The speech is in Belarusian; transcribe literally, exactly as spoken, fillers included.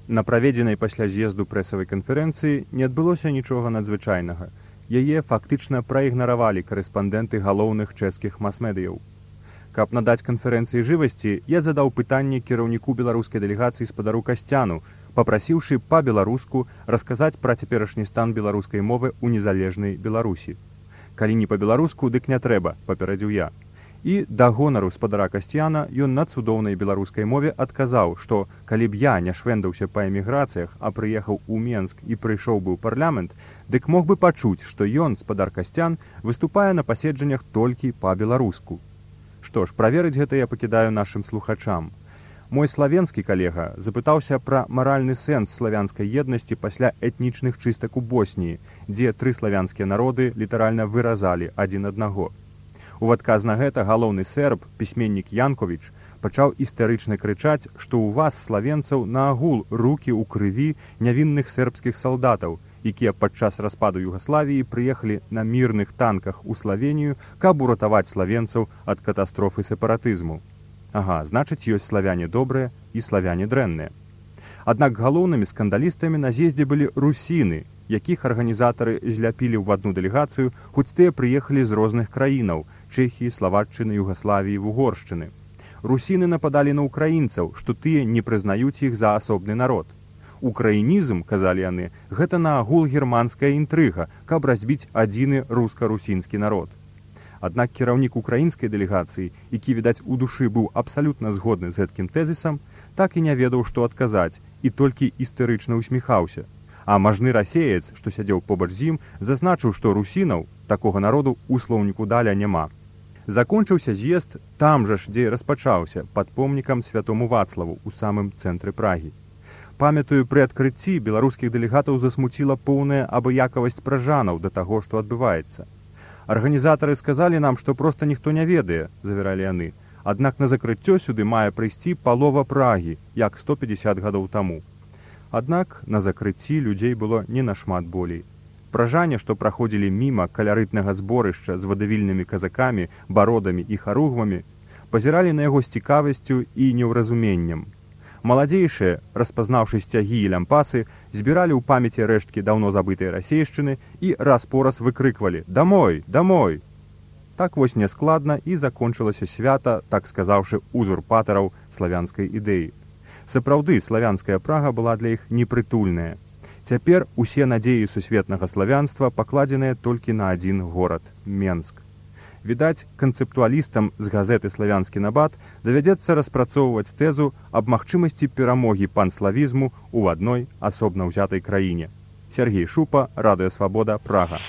На праведзенай пасля з'езду прэсавай канферэнцыі не адбылося нічога надзвычайнага. Яе фактычна праігнаравалі карэспандэнты галоўных чэшскіх мас-медыяў. Каб надаць канферэнцыі жывасці, я задаў пытанне кіраўніку беларускай дэлегацыі спадару Касцяну, папрасіўшы па-беларуску расказаць пра цяперашні стан беларускай мовы ў незалежнай Беларусі. Калі не па-беларуску, дык не трэба, папярэдзіў я. І да гонару спадара Касцяна ён на цудоўнай беларускай мове адказаў, што калі б я не швэндаўся па эміграцыях, а прыехаў у Менск і прыйшоў бы ў парламент, дык мог бы пачуць, што ён, спадар Касцян, выступае на паседжаннях толькі па-беларуску. Што ж, праверыць гэта я пакідаю нашым слухачам. Мой славенскі калега запытаўся пра маральны сэнс славянскай еднасці пасля этнічных чыстак у Босніі, дзе тры славянскія народы літаральна выразалі адзін аднаго. У адказ на гэта галоўны серб, пісьменнік Янковіч, пачаў істэрычна крычаць, што ў вас, славенцаў, наагул рукі ў крыві нявінных сербскіх салдатаў, якія падчас распаду Югаславіі прыехалі на мірных танках у Славенію, каб уратаваць славенцаў ад катастрофы сепаратызму. Ага, значыць, ёсць славяне добрыя і славяне дрэнныя. Аднак галоўнымі скандалістамі на з'ездзе былі русіны, якіх арганізатары зляпілі ў адну дэлегацыю, хоць тыя прыехалі з розных краінаў – Чэхіі, Славаччыны, Югаславіі, Вугоршчыны. Русіны нападалі на украінцаў, што тыя не прызнаюць іх за асобны народ. Украінізм, казалі яны, гэта наагул германская інтрыга, каб разбіць адзіны руска-русінскі народ. Аднак кіраўнік украінскай дэлегацыі, які, відаць, у душы быў абсалютна згодны з гэткім тэзісам, так і не ведаў, што адказаць, і толькі істэрычна усміхаўся. А мажны расеец, што сядзеў побач з ім, зазначыў, што русінаў, такога народу, у слоўніку даля няма. Закончыўся з'езд там жа ж, дзе распачаўся, пад помнікам святому Вацлаву, у самым цэнтры Прагі. Памятаю, пры адкрыцці беларускіх дэлегатаў засмуціла поўная абыякавасць пражанаў да таго, што адбываецца. Арганізатары сказалі нам, што проста ніхто не ведае, завяралі яны, аднак на закрыццё сюды мае прыйсці палова Прагі, як сто пятьдесят гадоў таму. Аднак на закрыцці людзей было не нашмат болей. Пражане, што праходзілі міма калярытнага зборышча з вадавільнымі казакамі, бародамі і харугвамі, пазіралі на яго з цікавасцю і неўразуменнем. Маладзейшыя, распазнаўшы сцягі і лямпасы, збіралі ў памяці рэшткі даўно забытай расейшчыны і раз-пораз выкрыквалі «Дамой! Дамой!». Так вось няскладна і закончылася свята, так сказаўшы, узурпатараў славянскай ідэі. Сапраўды, славянская Прага была для іх непрытульная. Цяпер усе надзеі сусветнага славянства пакладзеныя толькі на адзін горад – Менск. Відаць, канцэптуалістам з газеты «Славянскі набат» давядзецца распрацоўваць тэзу аб магчымасці перамогі панславізму ў адной асобна ўзятай краіне. Сергей Шупа, Радыё Свабода, Прага.